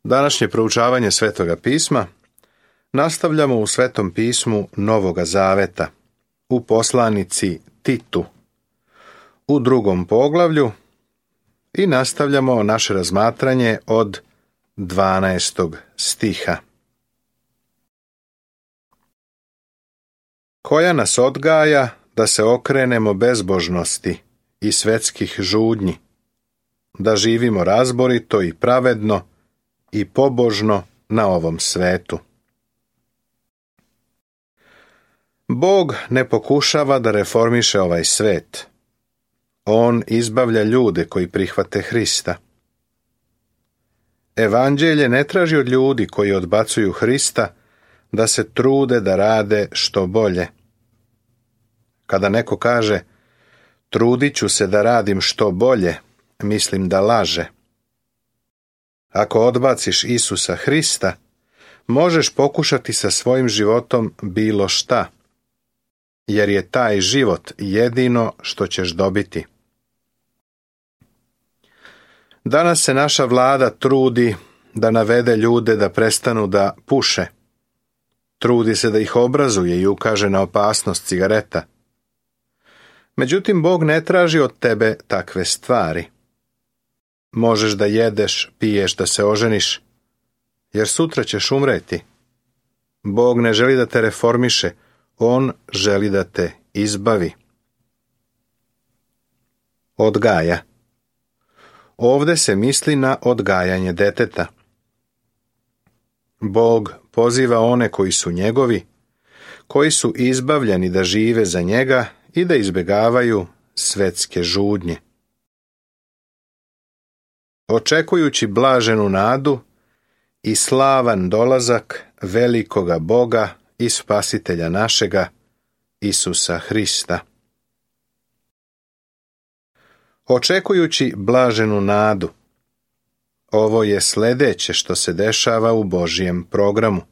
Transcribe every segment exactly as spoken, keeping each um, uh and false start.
Današnje proučavanje Svetoga pisma nastavljamo u Svetom pismu Novoga Zaveta, u poslanici Titu, u drugom poglavlju i nastavljamo naše razmatranje od dvanaestog stiha. Koja nas odgaja da se okrenemo bezbožnosti i svetskih žudnji, da živimo razborito i pravedno i pobožno na ovom svetu. Bog ne pokušava da reformiše ovaj svet. On izbavlja ljude koji prihvate Hrista. Evanđelje ne traži od ljudi koji odbacuju Hrista da se trude da rade što bolje. Kada neko kaže, trudit ću se da radim što bolje, mislim da laže. Ako odbaciš Isusa Hrista, možeš pokušati sa svojim životom bilo šta, jer je taj život jedino što ćeš dobiti. Danas se naša vlada trudi da navede ljude da prestanu da puše. Trudi se da ih obrazuje i ukaže na opasnost cigareta. Međutim, Bog ne traži od tebe takve stvari. Možeš da jedeš, piješ, da se oženiš, jer sutra ćeš umreti. Bog ne želi da te reformiše, On želi da te izbavi. Odgaja. Ovde se misli na odgajanje deteta. Bog poziva one koji su njegovi, koji su izbavljeni da žive za njega i da izbjegavaju svetske žudnje. Očekujući blaženu nadu i slavan dolazak velikoga Boga i Spasitelja našega, Isusa Hrista. Očekujući blaženu nadu. Ovo je sljedeće što se dešava u Božjem programu.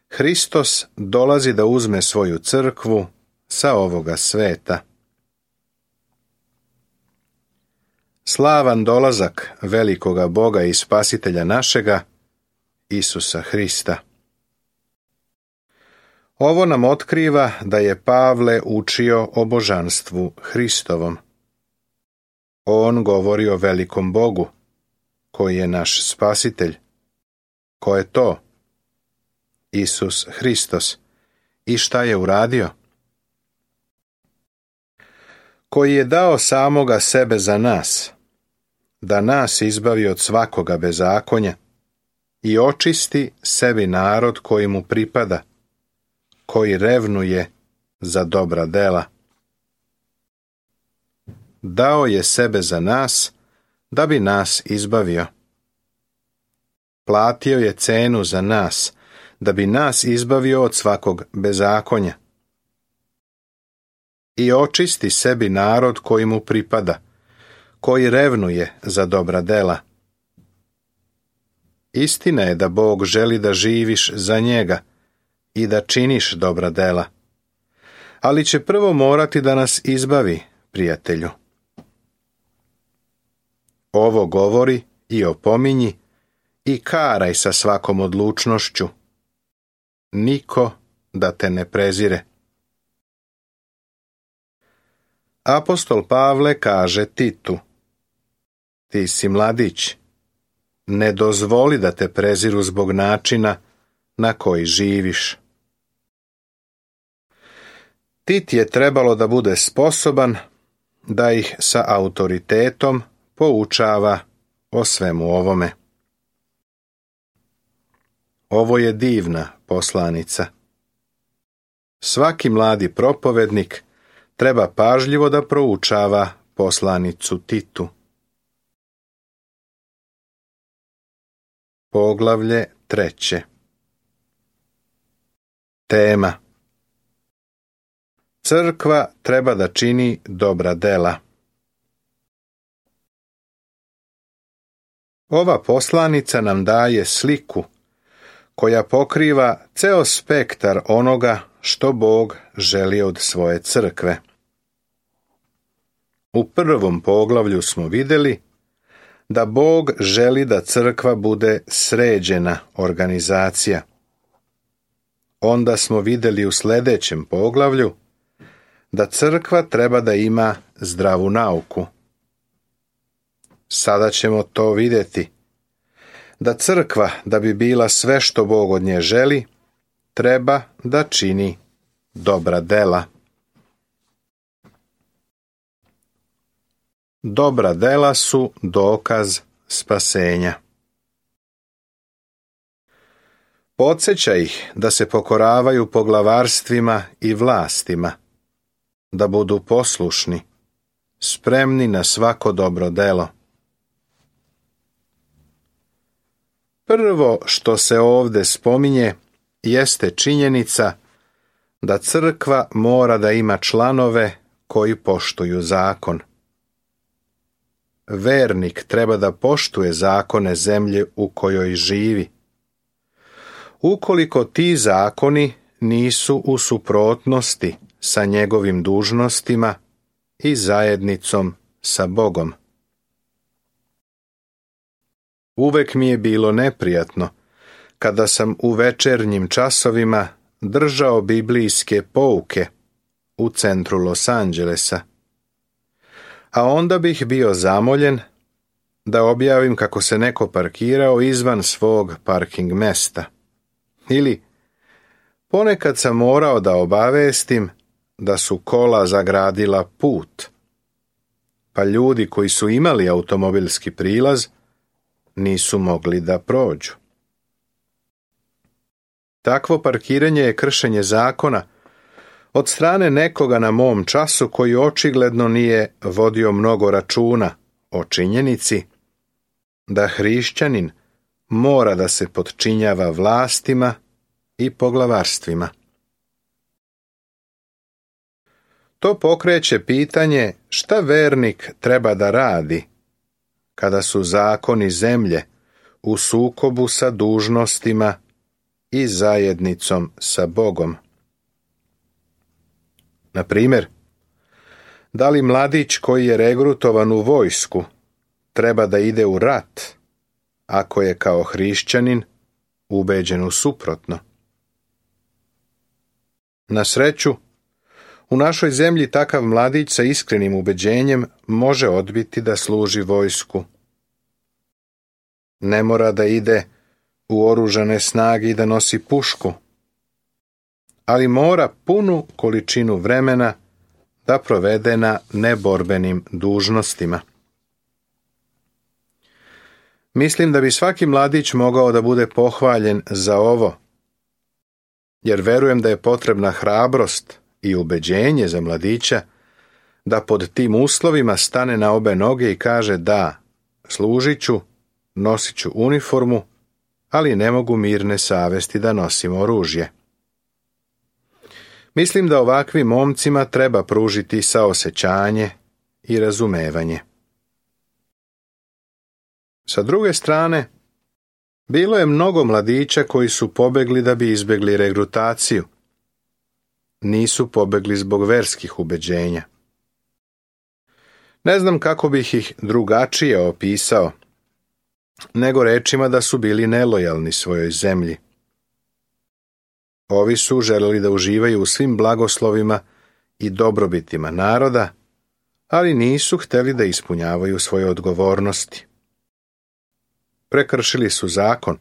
Hristos dolazi da uzme svoju crkvu sa ovoga sveta. Slavan dolazak velikoga Boga i Spasitelja našega, Isusa Hrista. Ovo nam otkriva da je Pavle učio o božanstvu Hristovom. On govori o velikom Bogu, koji je naš Spasitelj. Ko je to? Isus Hristos. I šta je uradio? Koji je dao samoga sebe za nas, da nas izbavi od svakoga bezakonja i očisti sebi narod koji mu pripada, koji revnuje za dobra dela. Dao je sebe za nas, da bi nas izbavio. Platio je cenu za nas, da bi nas izbavio od svakog bezakonja. I očisti sebi narod koji mu pripada, koji revnuje za dobra dela. Istina je da Bog želi da živiš za njega i da činiš dobra dela, ali će prvo morati da nas izbavi, prijatelju. Ovo govori i opominji i karaj sa svakom odlučnošću. Niko da te ne prezire. Apostol Pavle kaže Titu: ti si mladić, ne dozvoli da te preziru zbog načina na koji živiš. Tit je trebalo da bude sposoban da ih sa autoritetom poučava o svemu ovome. Ovo je divna poslanica. Svaki mladi propovednik treba pažljivo da proučava poslanicu Titu. Poglavlje treće. Tema. Crkva treba da čini dobra dela. Ova poslanica nam daje sliku koja pokriva ceo spektar onoga što Bog želi od svoje crkve. U prvom poglavlju smo vidjeli da Bog želi da crkva bude sređena organizacija. Onda smo vidjeli u sljedećem poglavlju da crkva treba da ima zdravu nauku. Sada ćemo to vidjeti, da crkva, da bi bila sve što Bog od nje želi, treba da čini dobra dela. Dobra dela su dokaz spasenja. Podsjeća ih da se pokoravaju poglavarstvima i vlastima, da budu poslušni, spremni na svako dobro delo. Prvo što se ovdje spominje jeste činjenica da crkva mora da ima članove koji poštuju zakon. Vernik treba da poštuje zakone zemlje u kojoj živi. Ukoliko ti zakoni nisu u suprotnosti sa njegovim dužnostima i zajednicom sa Bogom. Uvek mi je bilo neprijatno kada sam u večernjim časovima držao biblijske pouke u centru Los Angelesa. A onda bih bio zamoljen da objavim kako se neko parkirao izvan svog parking mesta. Ili ponekad sam morao da obavestim da su kola zagradila put, pa ljudi koji su imali automobilski prilaz nisu mogli da prođu. Takvo parkiranje je kršenje zakona od strane nekoga na mom času koji očigledno nije vodio mnogo računa o činjenici da hrišćanin mora da se potčinjava vlastima i poglavarstvima. To pokreće pitanje šta vernik treba da radi kada su zakoni zemlje u sukobu sa dužnostima i zajednicom sa Bogom. Na primjer, da li mladić koji je regrutovan u vojsku treba da ide u rat ako je kao hrišćanin ubeđen u suprotno? Na sreću, u našoj zemlji takav mladić sa iskrenim ubeđenjem može odbiti da služi vojsku. Ne mora da ide u oružane snage i da nosi pušku, ali mora punu količinu vremena da provede na neborbenim dužnostima. Mislim da bi svaki mladić mogao da bude pohvaljen za ovo, jer verujem da je potrebna hrabrost i ubeđenje za mladića da pod tim uslovima stane na obe noge i kaže da, služit ću, nosit ću uniformu, ali ne mogu mirne savesti da nosim oružje. Mislim da ovakvim momcima treba pružiti saosećanje i razumevanje. Sa druge strane, bilo je mnogo mladića koji su pobegli da bi izbjegli regrutaciju. Nisu pobegli zbog verskih ubeđenja. Ne znam kako bih ih drugačije opisao, nego rečima da su bili nelojalni svojoj zemlji. Ovi su želeli da uživaju u svim blagoslovima i dobrobitima naroda, ali nisu htjeli da ispunjavaju svoje odgovornosti. Prekršili su zakon,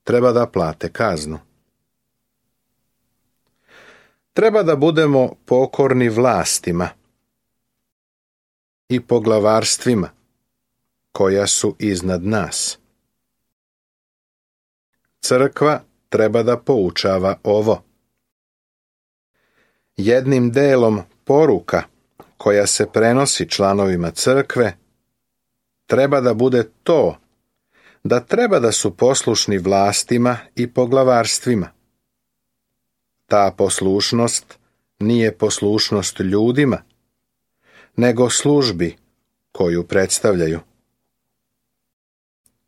treba da plate kaznu. Treba da budemo pokorni vlastima i poglavarstvima koja su iznad nas. Crkva treba da poučava ovo. Jednim delom poruka koja se prenosi članovima crkve treba da bude to da treba da su poslušni vlastima i poglavarstvima. Ta poslušnost nije poslušnost ljudima, nego službi koju predstavljaju.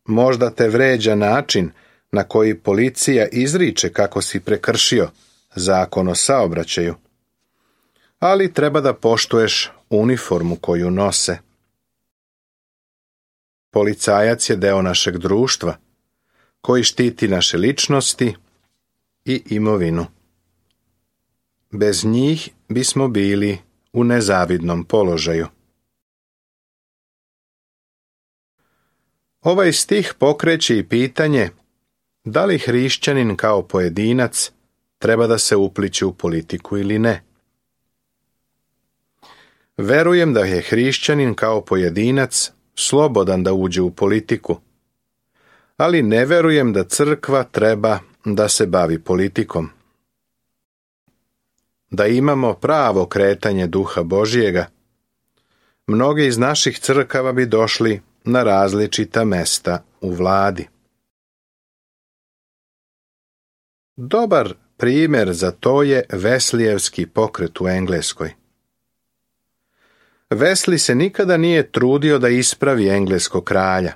Možda te vređa način na koji policija izriče kako si prekršio zakon o saobraćaju, ali treba da poštuješ uniformu koju nose. Policajac je deo našeg društva, koji štiti naše ličnosti i imovinu. Bez njih bismo bili u nezavidnom položaju. Ovaj stih pokreće i pitanje da li hrišćanin kao pojedinac treba da se upliće u politiku ili ne. Verujem da je hrišćanin kao pojedinac slobodan da uđe u politiku, ali ne verujem da crkva treba da se bavi politikom. Da imamo pravo kretanje Duha Božjega, mnogi iz naših crkava bi došli na različita mesta u vladi. Dobar primjer za to je Veslijevski pokret u Engleskoj. Wesley se nikada nije trudio da ispravi engleskog kralja,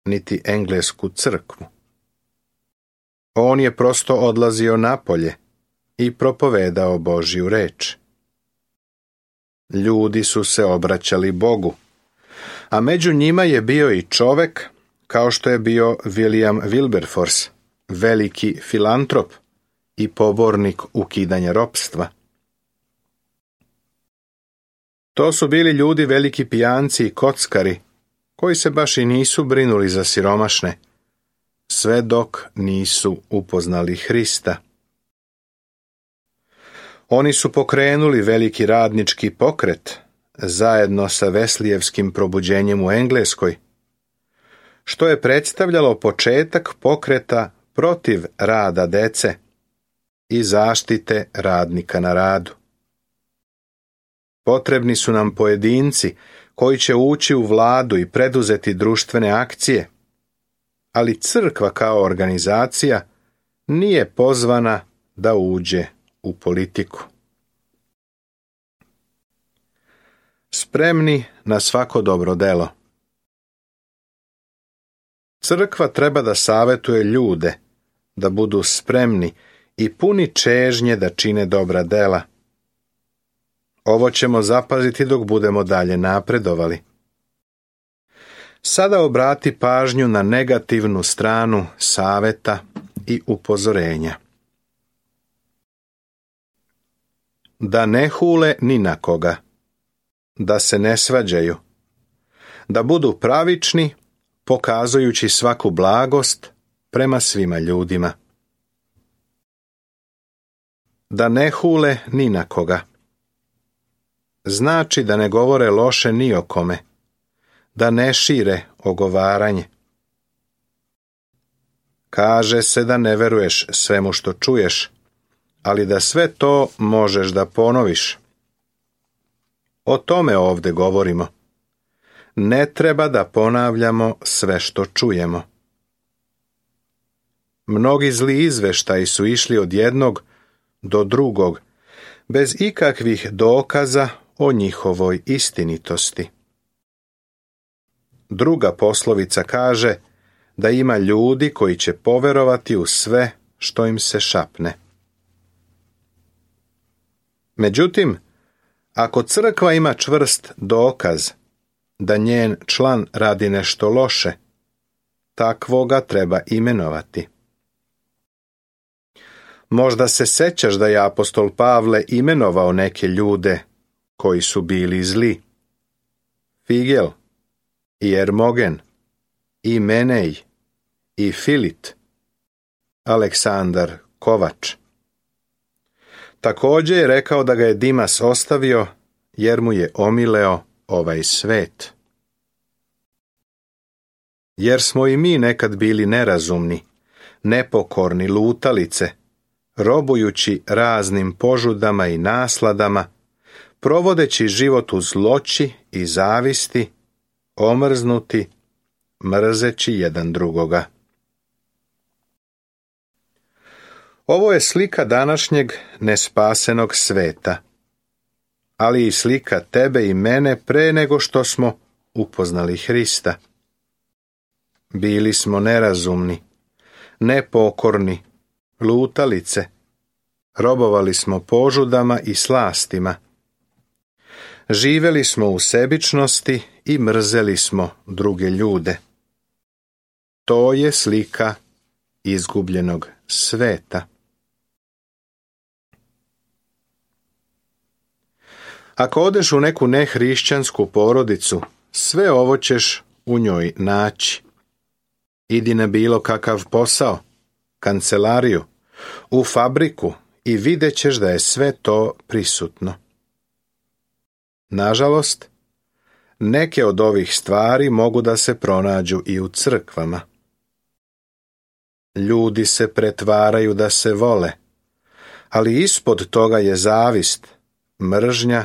niti englesku crkvu. On je prosto odlazio napolje i propovedao Božju reč. Ljudi su se obraćali Bogu, a među njima je bio i čovek kao što je bio William Wilberforce, veliki filantrop i pobornik ukidanja ropstva. To su bili ljudi veliki pijanci i kockari, koji se baš i nisu brinuli za siromašne, sve dok nisu upoznali Hrista. Oni su pokrenuli veliki radnički pokret, zajedno sa Veslijevskim probuđenjem u Engleskoj, što je predstavljalo početak pokreta protiv rada dece i zaštite radnika na radu. Potrebni su nam pojedinci koji će ući u vladu i preduzeti društvene akcije, ali crkva kao organizacija nije pozvana da uđe u politiku. Spremni na svako dobro delo. Crkva treba da savetuje ljude da budu spremni i puni čežnje da čine dobra dela. Ovo ćemo zapaziti dok budemo dalje napredovali. Sada obrati pažnju na negativnu stranu saveta i upozorenja. Da ne hule ni na koga, da se ne svađaju, da budu pravični, pokazujući svaku blagost prema svima ljudima. Da ne hule ni na koga. Znači da ne govore loše ni o kome, da ne šire ogovaranje. Kaže se da ne veruješ svemu što čuješ, ali da sve to možeš da ponoviš. O tome ovdje govorimo. Ne treba da ponavljamo sve što čujemo. Mnogi zli izveštaji su išli od jednog do drugog, bez ikakvih dokaza o njihovoj istinitosti. Druga poslovica kaže da ima ljudi koji će poverovati u sve što im se šapne. Međutim, ako crkva ima čvrst dokaz da njen član radi nešto loše, takvoga treba imenovati. Možda se sećaš da je apostol Pavle imenovao neke ljude koji su bili zli. Figel, i Ermogen, i Menej, i Filit, Aleksandar Kovač. Također je rekao da ga je Dimas ostavio jer mu je omileo ovaj svet. Jer smo i mi nekad bili nerazumni, nepokorni lutalice, robujući raznim požudama i nasladama, provodeći život u zloći i zavisti, omrznuti, mrzeći jedan drugoga. Ovo je slika današnjeg nespasenog sveta, ali i slika tebe i mene pre nego što smo upoznali Hrista. Bili smo nerazumni, nepokorni, lutalice, robovali smo požudama i slastima. Živeli smo u sebičnosti i mrzeli smo druge ljude. To je slika izgubljenog sveta. Ako odeš u neku nehrišćansku porodicu, sve ovo ćeš u njoj naći. Idi na bilo kakav posao, kancelariju, u fabriku i vidjet ćeš da je sve to prisutno. Nažalost, neke od ovih stvari mogu da se pronađu i u crkvama. Ljudi se pretvaraju da se vole, ali ispod toga je zavist, mržnja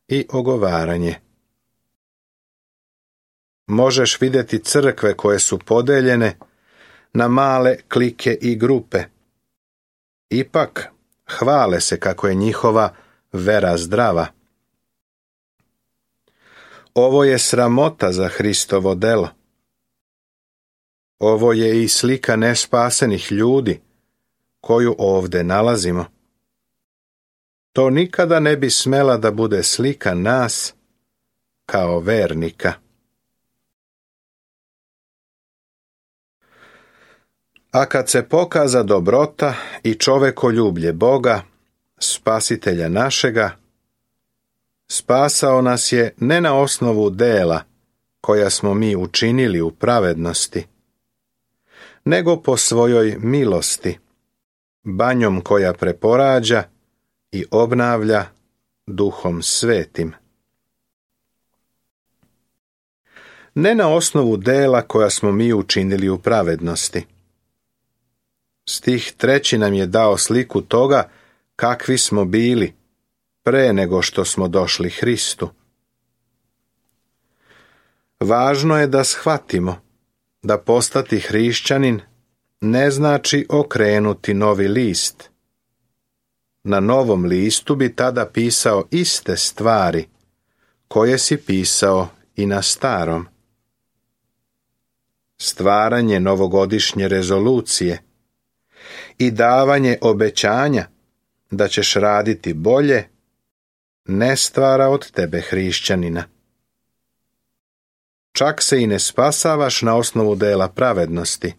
i ogovaranje. Možeš vidjeti crkve koje su podeljene na male klike i grupe. Ipak, hvale se kako je njihova vera zdrava. Ovo je sramota za Hristovo delo. Ovo je i slika nespasenih ljudi koju ovdje nalazimo. To nikada ne bi smela da bude slika nas kao vernika. A kad se pokaza dobrota i čovekoljublje Boga, Spasitelja našega, spasao nas je ne na osnovu dela koja smo mi učinili u pravednosti, nego po svojoj milosti, banjom koja preporađa i obnavlja Duhom Svetim. Ne na osnovu dela koja smo mi učinili u pravednosti. Stih treći nam je dao sliku toga kakvi smo bili pre nego što smo došli Hristu. Važno je da shvatimo da postati hrišćanin ne znači okrenuti novi list. Na novom listu bi tada pisao iste stvari koje si pisao i na starom. Stvaranje novogodišnje rezolucije i davanje obećanja da ćeš raditi bolje ne stvara od tebe hrišćanina. Čak se i ne spasavaš na osnovu dela pravednosti,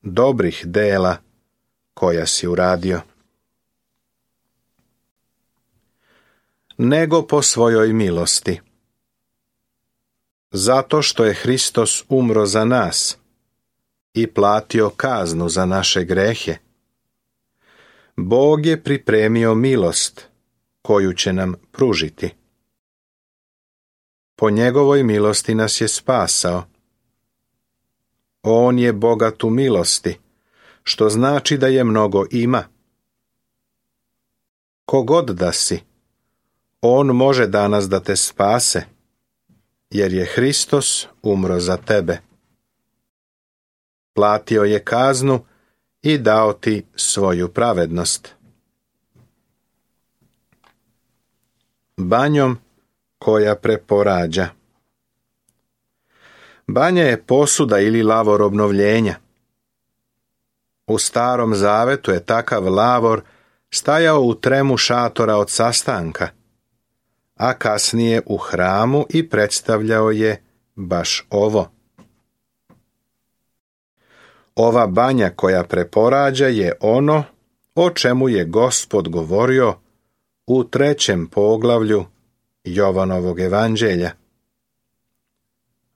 dobrih dela koja si uradio, nego po svojoj milosti. Zato što je Hristos umro za nas i platio kaznu za naše grehe, Bog je pripremio milost koju će nam pružiti. Po njegovoj milosti nas je spasao. On je bogat u milosti, što znači da je mnogo ima. Kogod da si, on može danas da te spase, jer je Hristos umro za tebe. Platio je kaznu i dao ti svoju pravednost. Banjom koja preporađa. Banja je posuda ili lavor obnovljenja. U Starom Zavetu je takav lavor stajao u tremu šatora od sastanka, a kasnije u hramu i predstavljao je baš ovo. Ova banja koja preporađa je ono o čemu je Gospod govorio u trećem poglavlju Jovanovog evanđelja.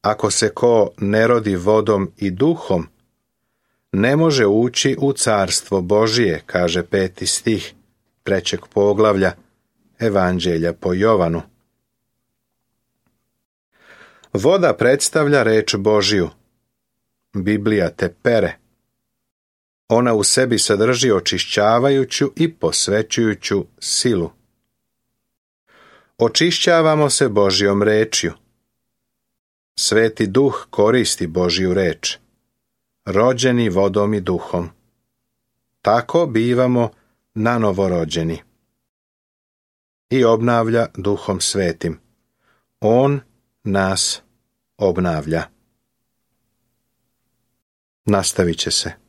Ako se ko ne rodi vodom i duhom, ne može ući u carstvo Božije, kaže peti stih trećeg poglavlja Evanđelja po Jovanu. Voda predstavlja reč Božiju. Biblija te pere. Ona u sebi sadrži očišćavajuću i posvećujuću silu. Očišćavamo se Božjom rečju. Sveti Duh koristi Božju reč, rođeni vodom i duhom. Tako bivamo nanovorođeni. I obnavlja Duhom Svetim. On nas obnavlja. Nastavit će se.